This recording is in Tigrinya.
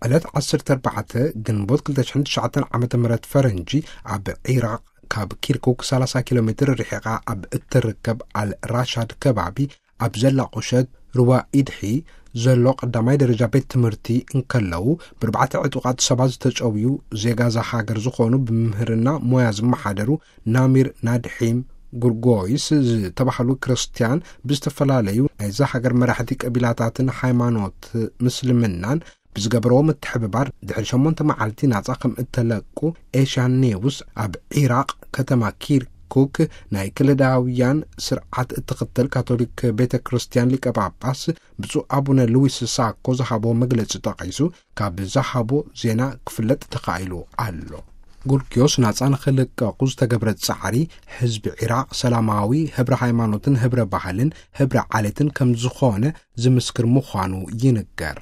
ዕለት ዓሰርተ ኣርባዕተ ግንቦት ክልተ ሽሕን ትሽዓተን ዓመተ ምህረት ፈረንጂ፣ ኣብ ዒራቕ ካብ ኪርኩክ ሰላሳ ኪሎ ሜትር ርሒቓ ኣብ እትርከብ ኣል ራሻድ ከባቢ ኣብ ዘላ ቁሸት ሩባ ኢድሒ ዘሎ ቀዳማይ ደረጃ ቤት ትምህርቲ እንከለዉ፣ ብርባዕተ ዕጡቓት ሰባት ዝተጨውዩ ዜጋ እዛ ሃገር ዝኾኑ፣ ብምህርና ሞያ ዝመሓደሩ ናሚር ናድሒም ጉርጎይስ ዝተባህሉ ክርስትያን፣ ብዝተፈላለዩ ናይዛ ሃገር መራሕቲ ቀቢላታትን ሃይማኖት ምስልምናን ብዝገበርዎ ምትሕብባር፣ ድሕሪ ሸሞንተ መዓልቲ ናጻ ከም እተለቁ ኤሽያን ኔውስ ኣብ ዒራቕ ከተማ ኪርኩክ ናይ ክልዳውያን ስርዓት እትኽተል ካቶሊክ ቤተ ክርስቲያን ሊቀ ጳጳስ ብፁዕ ኣቡነ ሉዊስ ሳኮ ዝሃቦ መግለጺ ጠቒሱ፣ ካብ ዝሃቦ ዜና ክፍለጥ ተኻኢሉ ኣሎ። ጉርጊዮስ ናጻ ንኽልቀቑ ዝተገብረ ጻዕሪ፣ ህዝቢ ዒራቕ ሰላማዊ፣ ህብረ ሃይማኖትን ህብረ ባህልን ህብረ ዓሌትን ከም ዝኾነ ዝምስክር ምዃኑ ይንገር።